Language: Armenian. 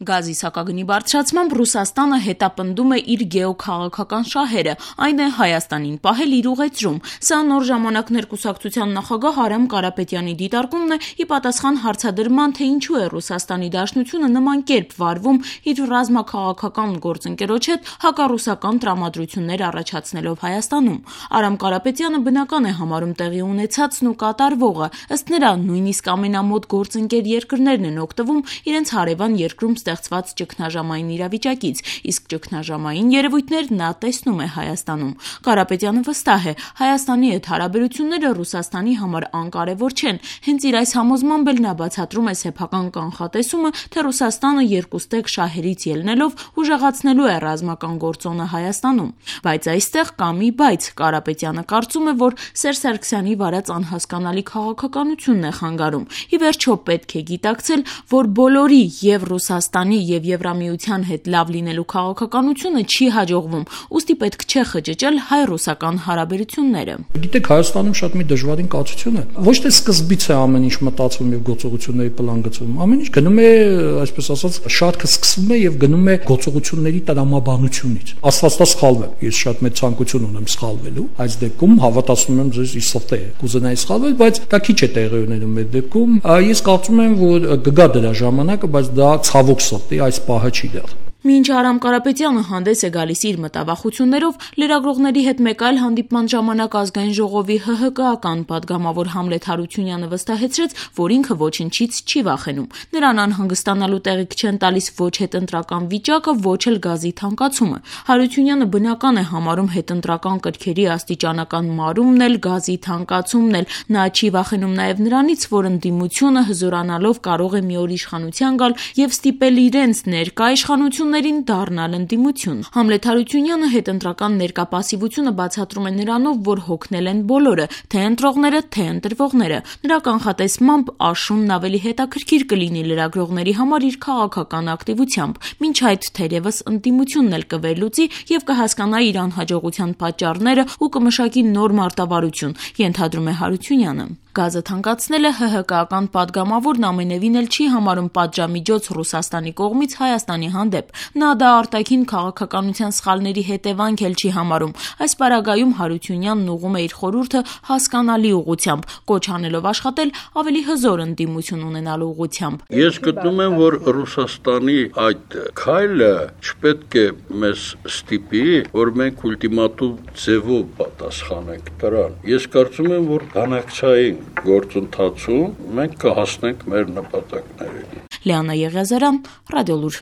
Գազի սակագնի բարձրացմամբ Ռուսաստանը հետապնդում է իր գեոքաղաքական շահերը, այն է Հայաստանին պահել իր ուղեծրում։ Սա նոր ժամանակներ կուսակցության նախագահ Արամ Կարապետյանի դիտարկումն է ի պատասխան հարցադրման, թե ինչու է Ռուսաստանի Դաշնությունը նման կերպ վարվում իր ռազմաքաղաքական գործընկերոջ հետ հակառուսական տրամադրություններ առաջացնելով Հայաստանում։ Արամ Կարապետյանը բնական է համարում տեղի ունեցածն ու կատարվողը, ըստ նրա նույնիսկ ամենամոտ գործընկեր երկրներն են օգտվում իրենց հարևան երկրում ստեղծված ճգնաժամային իրավիճակից, իսկ ճգնաժամային երևույթներ նա տեսնում է Հայաստանում։ Կարապետյանը վստահ է, Հայաստանի հետ հարաբերությունները Ռուսաստանի համար անկարևոր չեն, հենց իր այս համոզմամբ էլ նա բացատրում է սեփական կանխատեսումը, թե Ռուսաստանը երկուստեք շահերից ելնելով ուժեղացնելու է ռազմական գործոնը Հայաստանում։ Բայց այստեղ կա մի բայց, Կարապետյանը կարծում է, որ Սերժ Սարգսյանի վարած անհասկանալի քաղաքականությունն է խանգարում։ Ի վերջո պետք է գիտակցել, որ բոլորի եւ Ռուսաստանի եւ Եվրամիության հետ լավ լինելու քաղաքականությունը չի հաջողվում, ուստի պետք չէ խճճել հայ-ռուսական հարաբերությունները։ Գիտեք, Հայաստանում շատ մի դժվարին կացություն է։ Ոչ թե սկզբից է ամեն ինչ մտածվում եւ գործողությունների պլան գծվում, ամեն ինչ գնում է, այսպես ասած, շարքը սկսվում է եւ գնում է գործողությունների տրամաբանությունից։ Աստվածտա սխալվել։ Ես շատ մեծ ցանկություն ունեմ սխալվելու, այս դեպքում հավատացնում եմ ձեզ ի սրտե կուզենայի սխալվել, բայց դա քիչ է տեղի ունենում այդ դեպքում։ Ես կարծում եմ, որ կգա դրա ժամանակը, բայց դա ցավոք սրտի այս պահը չի դեռ։ Մինչ Արամ Կարապետյանը հանդես է գալիս իր մտավախություններով, լրագրողների հետ մեկ այլ հանդիպման ժամանակ Ազգային ժողովի ՀՀԿ-ական падգամավոր Համլետ Հարությունյանը վստահեցրեց, որ ինքը ոչնչից չի վախենում։ Նրան անհանգստանալու տեղիք չեն տալիս ոչ հետընտրական վիճակը, ոչ էլ գազի թանկացումը։ Հարությունյանը բնական է համարում հետընտրական կրքերի աստիճանական մարումն էլ, գազի թանկացումն էլ։ Նա չի վախենում նաև նրանից, որ ընդդիմությունը հզորանալով կարող է մի օր իշխանության գալ եւ ստիպել իրենց ներկա իշխանություն դառնալ ընդդիմություն։ Համլետ Հարությունյանը հետընտրական ներկա պասիվությունը բացատրում է նրանով, որ հոգնել են բոլորը, թե ընտրողները, թե ընտրվողները։ Նրա կանխատեսմամբ աշունն ավելի հետաքրքիր կլինի լրագրողների համար իր քաղաքական ակտիվությամբ, մինչ այդ թերևս ընդդիմությունն էլ կվերլուծի եւ կհասկանա իր անհաջողության պատճառները ու կմշակի նոր մարտավարություն, ենթադրում է Հարությունյանը։ Գազը թանկացնելը ՀՀԿ-ական падգամավորն ամենևին էլ չի համարում պատժամիջոց Ռուսաստանի կողմից Հայաստանի հանդեպ։ Նա դա արտաքին քաղաքականության սխալների հետևանք էլ չի համարում։ Այս պարագայում Հարությունյանն ուղղում է իր խորհուրդը հասկանալի ուղղությամբ, կոչ անելով աշխատել ավելի հզոր ընդդիմություն ունենալու ուղղությամբ։ Ես գտնում եմ, որ Ռուսաստանի այդ քայլը չպետք է մեզ ստիպի, որ մենք ուլտիմատում ձևով պատասխանենք դրան։ Ես կարծում եմ, որ բանակցային գործընթացում մենք կհասնենք մեր նպատակներին։ Լիանա Եղիազարյան, Ռադիոլուր։